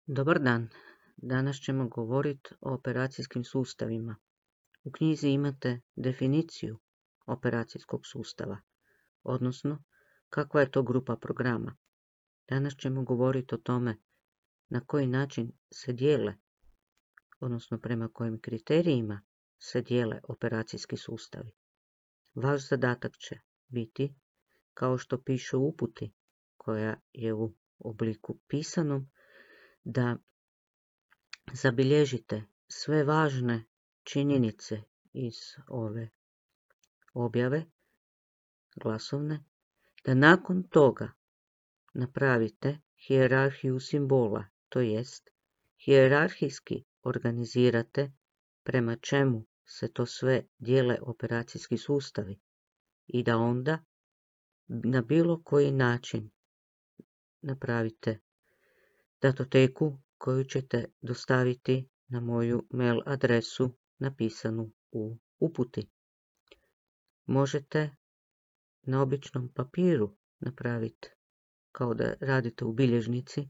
Dobar dan, danas ćemo govoriti o operacijskim sustavima. U knjizi imate definiciju operacijskog sustava, odnosno kakva je to grupa programa. Danas ćemo govoriti o tome na koji način se dijele, odnosno prema kojim kriterijima se dijele operacijski sustavi. Vaš zadatak će biti, kao što piše u uputi, koja je u obliku pisanom, da zabilježite sve važne činjenice iz ove objave glasovne, da nakon toga napravite hijerarhiju simbola, to jest hijerarhijski organizirate prema čemu se to sve dijele operacijski sustavi i da onda na bilo koji način napravite datoteku koju ćete dostaviti na moju mail adresu napisanu u uputi. Možete na običnom papiru napraviti, kao da radite u bilježnici,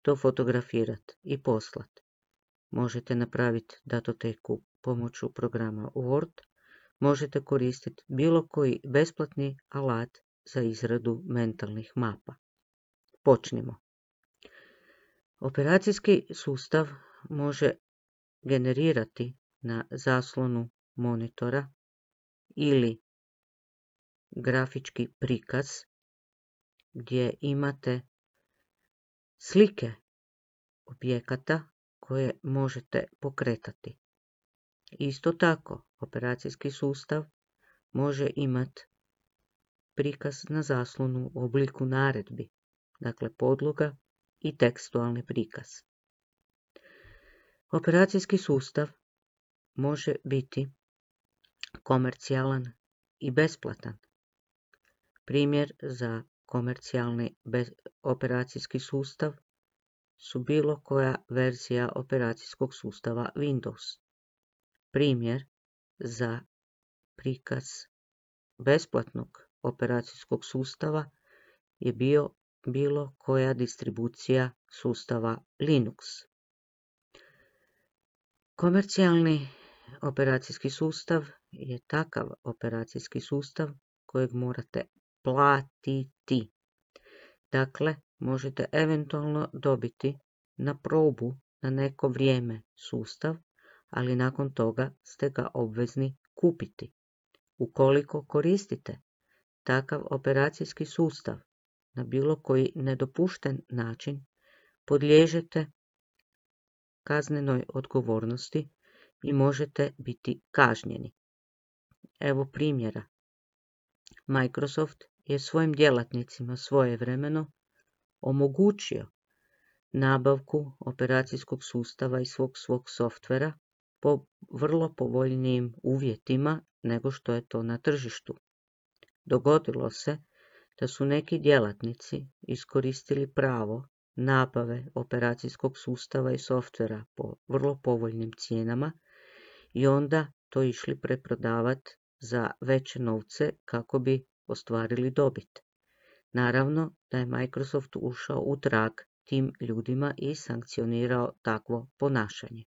to fotografirati i poslati. Možete napraviti datoteku pomoću programa Word, možete koristiti bilo koji besplatni alat za izradu mentalnih mapa. Počnimo. Operacijski sustav može generirati na zaslonu monitora ili grafički prikaz gdje imate slike objekata koje možete pokretati. Isto tako, operacijski sustav može imati prikaz na zaslonu u obliku naredbi, dakle podloga i tekstualni prikaz. Operacijski sustav može biti komercijalan i besplatan. Primjer za komercijalni operacijski sustav su bilo koja verzija operacijskog sustava Windows. Primjer za prikaz besplatnog operacijskog sustava je bilo koja distribucija sustava Linux. Komercijalni operacijski sustav je takav operacijski sustav kojeg morate platiti. Dakle, možete eventualno dobiti na probu na neko vrijeme sustav, ali nakon toga ste ga obvezni kupiti. Ukoliko koristite takav operacijski sustav na bilo koji nedopušten način, podliježete kaznenoj odgovornosti i možete biti kažnjeni. Evo primjera. Microsoft je svojim djelatnicima svojevremeno omogućio nabavku operacijskog sustava i svog softvera po vrlo povoljnijim uvjetima nego što je to na tržištu. Dogodilo se da su neki djelatnici iskoristili pravo nabave operacijskog sustava i softvera po vrlo povoljnim cijenama i onda to išli preprodavati za veće novce kako bi ostvarili dobit. Naravno da je Microsoft ušao u trag tim ljudima i sankcionirao takvo ponašanje.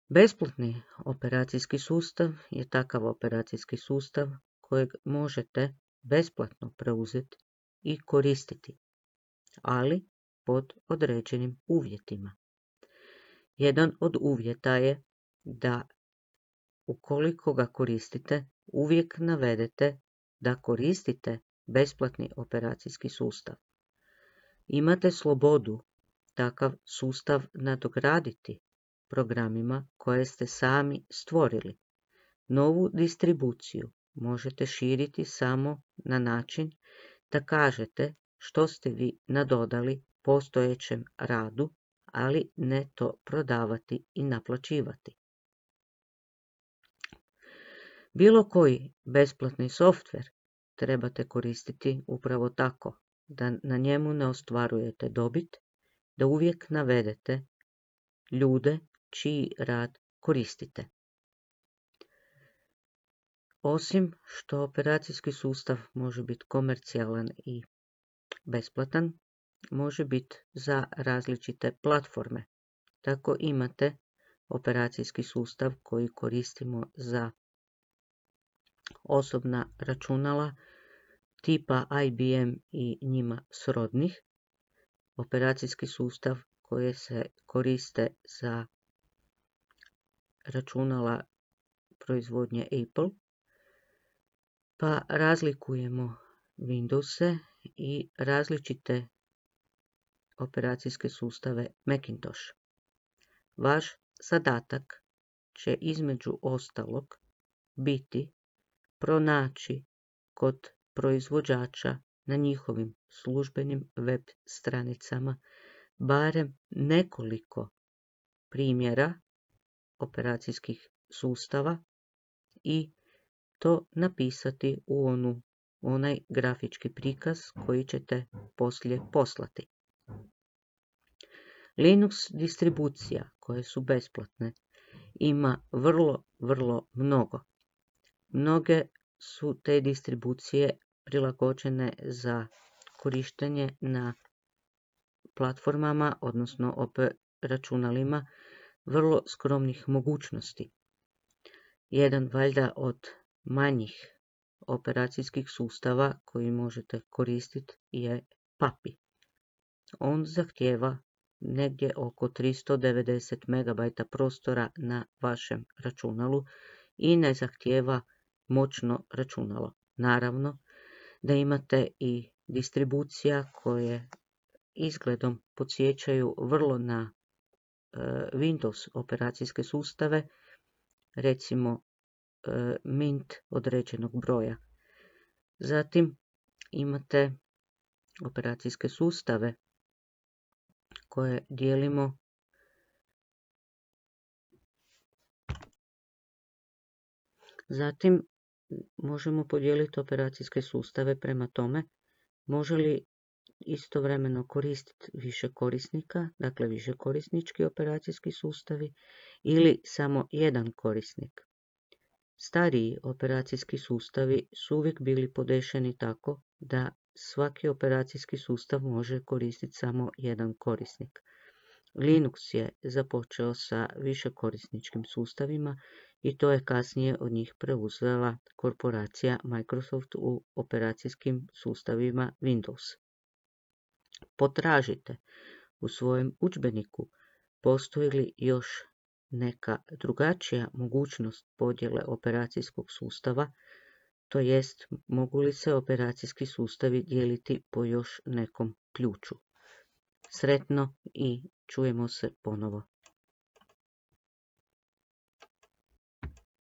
Besplatni operacijski sustav je takav operacijski sustav kojeg možete besplatno preuzeti i koristiti, ali pod određenim uvjetima. Jedan od uvjeta je da ukoliko ga koristite, uvijek navedete da koristite besplatni operacijski sustav. Imate slobodu takav sustav nadograditi programima koje ste sami stvorili. Novu distribuciju možete širiti samo na način da kažete što ste vi nadodali postojećem radu, ali ne to prodavati i naplaćivati. Bilo koji besplatni softver trebate koristiti upravo tako, da na njemu ne ostvarujete dobit, da uvijek navedete ljude čiji rad koristite. Osim što operacijski sustav može biti komercijalan i besplatan, može biti za različite platforme. Tako imate operacijski sustav koji koristimo za osobna računala tipa IBM i njima srodnih, operacijski sustav koje se koriste za računala proizvodnje Apple, pa razlikujemo Windowse i različite operacijske sustave Macintosh. Vaš zadatak će između ostalog biti pronaći kod proizvođača na njihovim službenim web stranicama barem nekoliko primjera operacijskih sustava i to napisati u onaj grafički prikaz koji ćete poslije poslati. Linux distribucija koje su besplatne ima vrlo mnogo. Mnoge su te distribucije prilagođene za korištenje na platformama, odnosno računalima vrlo skromnih mogućnosti. Jedan valjda od manjih operacijskih sustava koji možete koristiti je Papi. On zahtijeva negdje oko 390 MB prostora na vašem računalu i ne zahtijeva moćno računalo. Naravno da imate i distribucija koje izgledom podsjećaju vrlo na Windows operacijske sustave, recimo Mint određenog broja. Zatim imate operacijske sustave koje dijelimo Zatim možemo podijeliti operacijske sustave prema tome može li istovremeno koristiti više korisnika, dakle više korisnički operacijski sustavi ili samo jedan korisnik. Stariji operacijski sustavi su uvijek bili podešeni tako da svaki operacijski sustav može koristiti samo jedan korisnik. Linux je započeo sa višekorisničkim sustavima i to je kasnije od njih preuzela korporacija Microsoft u operacijskim sustavima Windows. Potražite u svojem udžbeniku postoji li još neka drugačija mogućnost podjele operacijskog sustava, to jest mogu li se operacijski sustavi dijeliti po još nekom ključu. Sretno i čujemo se ponovo.